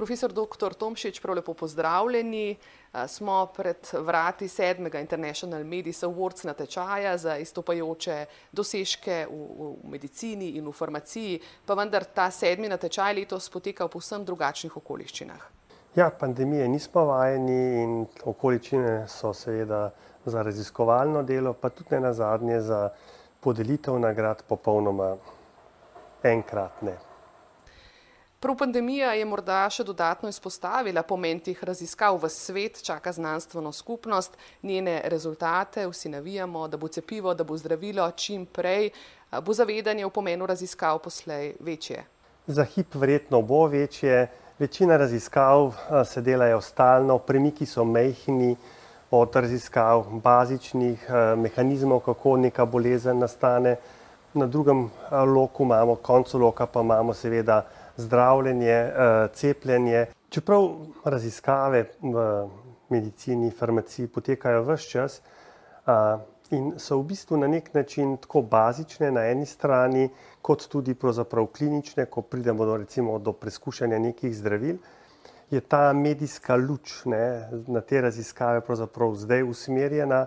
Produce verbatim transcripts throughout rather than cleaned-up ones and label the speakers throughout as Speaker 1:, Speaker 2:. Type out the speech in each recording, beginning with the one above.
Speaker 1: Profesor doktor Tomšič, prav lepo pozdravljeni. Smo pred vrati sedmega International Medis Awards natečaja za izstopajoče dosežke v, v medicini in v farmaciji, pa vendar ta sedmi natečaj letos poteka v povsem drugačnih okoliščinah.
Speaker 2: Ja, pandemije nismo vajeni in okoliščine so seveda za raziskovalno delo, pa tudi ne nazadnje za podelitev nagrad popolnoma enkratne.
Speaker 1: Prav pandemija je morda še dodatno izpostavila pomen teh raziskav v svet, čaka znanstveno skupnost, njene rezultate, vsi navijamo, da bo cepivo, da bo zdravilo čim prej, bo zavedanje o pomenu raziskav poslej večje.
Speaker 2: Za hip verjetno bo večje, večina raziskav se delajo stalno, premiki so majhni od raziskav bazičnih mehanizmov, kako neka bolezen nastane. Na drugem loku imamo, koncu loka pa imamo seveda zdravljenje, cepljenje. Čeprav raziskave v medicini, farmaciji potekajo ves čas in so v bistvu na nek način tako bazične na eni strani, kot tudi pravzaprav klinične, ko pridemo do, recimo, do preskušanja nekih zdravil, je ta medijska luč, ne, na te raziskave pravzaprav zdaj usmerjena.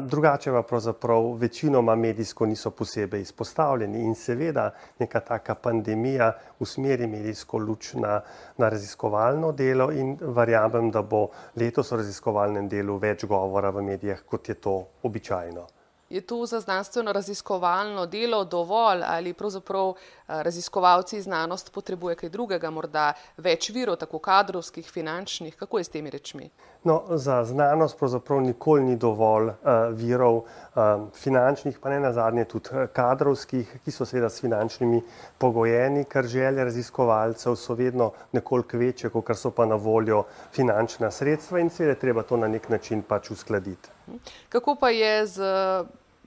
Speaker 2: Drugače pa pravzaprav večinoma medijsko niso posebej izpostavljeni in seveda neka taka pandemija usmeri medijsko luč na, na raziskovalno delo in verjamem, da bo letos o raziskovalnem delu več govora v medijih, kot je to običajno.
Speaker 1: Je to za znanstveno raziskovalno delo dovolj ali pravzaprav raziskovalci znanost potrebuje kaj drugega, morda več virov, tako kadrovskih, finančnih, kako je s temi rečmi?
Speaker 2: No, za znanost pravzaprav nikoli ni dovolj uh, virov, uh, finančnih, pa ne nazadnje tudi kadrovskih, ki so seveda s finančnimi pogojeni, ker želje raziskovalcev so vedno nekoliko večje, kot so pa na voljo finančna sredstva in seveda treba to na nek način pač uskladiti.
Speaker 1: Kako pa je z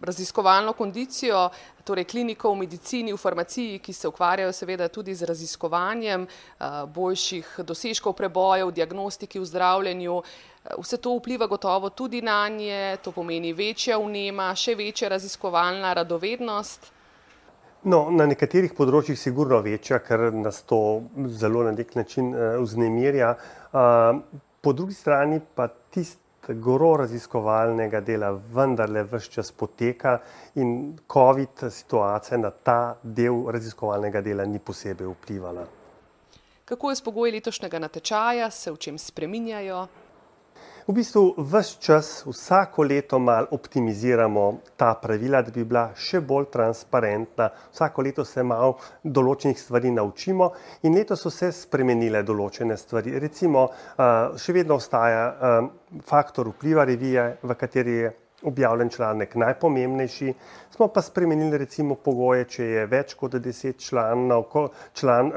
Speaker 1: raziskovalno kondicijo, torej klinikov v medicini, v farmaciji, ki se ukvarjajo seveda tudi z raziskovanjem boljših dosežkov prebojev, diagnostiki, v zdravljenju. Vse to vpliva gotovo tudi nanje, to pomeni večja vnema, še večja raziskovalna radovednost.
Speaker 2: No, na nekaterih področjih sigurno večja, ker nas to zelo na nek način vznemirja. Po drugi strani pa tisti gro raziskovalnega dela vendarle ves čas poteka in COVID situacija na ta del raziskovalnega dela ni posebej vplivala.
Speaker 1: Kako je s pogoji letošnjega natečaja, se v čem spreminjajo?
Speaker 2: V bistvu ves čas, vsako leto malo optimiziramo ta pravila, da bi bila še bolj transparentna. Vsako leto se malo določenih stvari naučimo in letos so se spremenile določene stvari. Recimo, še vedno ostaja faktor vpliva revije, v kateri je objavljen članek najpomembnejši. Smo pa spremenili recimo pogoje, če je več kot deset članov, član,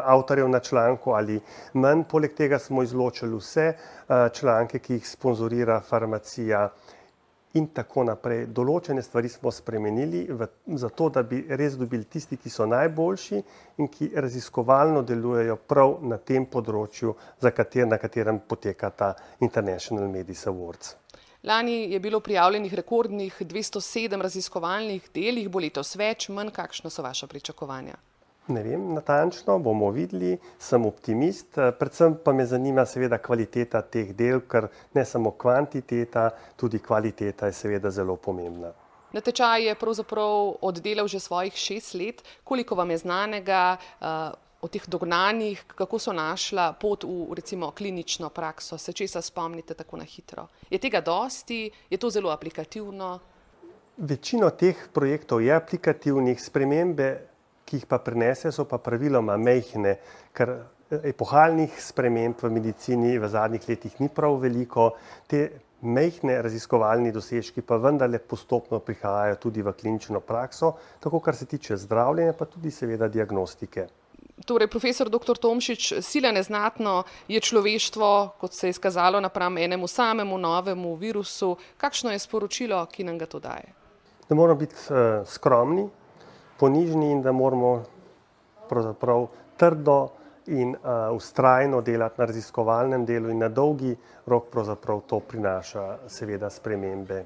Speaker 2: avtorjev na članku ali manj. Poleg tega smo izločili vse članke, ki jih sponzorira farmacija in tako naprej. Določene stvari smo spremenili v, zato, da bi res dobili tisti, ki so najboljši in ki raziskovalno delujejo prav na tem področju, za kater, na katerem poteka ta International Medis Awards.
Speaker 1: Lani je bilo prijavljenih rekordnih dvesto sedem raziskovalnih del, jih bo letos več, manj, kakšna so vaša pričakovanja?
Speaker 2: Ne vem, natančno, bomo videli, sem optimist, predvsem pa me zanima seveda kvaliteta teh del, ker ne samo kvantiteta, tudi kvaliteta je seveda zelo pomembna.
Speaker 1: Natečaj je pravzaprav oddelal že svojih šest let, koliko vam je znanega o teh dognanjih, kako so našla pot v recimo klinično prakso, se česa spomnite tako na hitro? Je tega dosti? Je to zelo aplikativno?
Speaker 2: Večino teh projektov je aplikativnih, spremembe, ki jih pa prinese, so pa praviloma majhne, ker epohalnih sprememb v medicini v zadnjih letih ni prav veliko. Te majhne raziskovalni dosežki pa vendarle postopno prihajajo tudi v klinično prakso, tako kar se tiče zdravljenja, pa tudi seveda diagnostike.
Speaker 1: Torej, profesor doktor Tomšič, sila neznatno je človeštvo, kot se je izkazalo napram enemu samemu novemu virusu. Kakšno je sporočilo, ki nam ga to daje?
Speaker 2: Da moramo biti uh, skromni, ponižni in da moramo pravzaprav trdo in uh, vztrajno delati na raziskovalnem delu in na dolgi rok pravzaprav to prinaša seveda spremembe.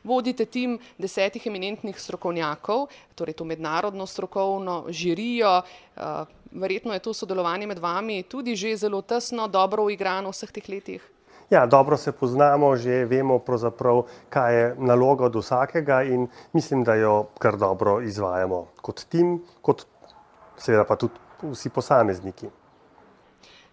Speaker 1: vodite tim desetih eminentnih strokovnjakov, torej to mednarodno strokovno žirijo. Verjetno je to sodelovanje med vami tudi že zelo tesno, dobro uigrano v vseh teh letih?
Speaker 2: Ja, dobro se poznamo, že vemo pravzaprav, kaj je naloga od vsakega in mislim, da jo kar dobro izvajamo kot tim, kot seveda pa tudi vsi posamezniki.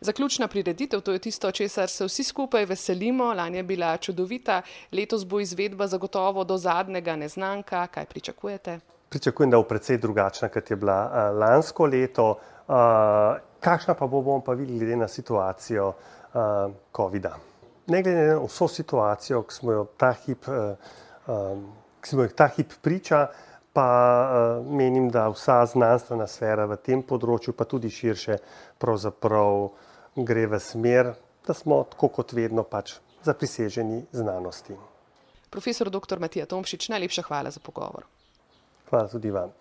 Speaker 1: Zaključna prireditev, to je tisto, česar se vsi skupaj veselimo. Lani je bila čudovita, letos bo izvedba zagotovo do zadnjega neznanka. Kaj pričakujete?
Speaker 2: Pričakujem, da bo precej drugačna, kot je bila uh, lansko leto. Uh, kakšna pa bo, bomo pa videli glede na situacijo uh, covida. Ne glede na vso situacijo, ki smo jo ta hip, uh, um, ki smo jo ta hip priča, pa uh, menim, da vsa znanstvena sfera v tem področju, pa tudi širše, pravzaprav gre v smer, da smo tako kot vedno pač zapriseženi znanosti.
Speaker 1: Profesor doktor Matija Tomšič, najlepša hvala za pogovor.
Speaker 2: Hvala tudi vam.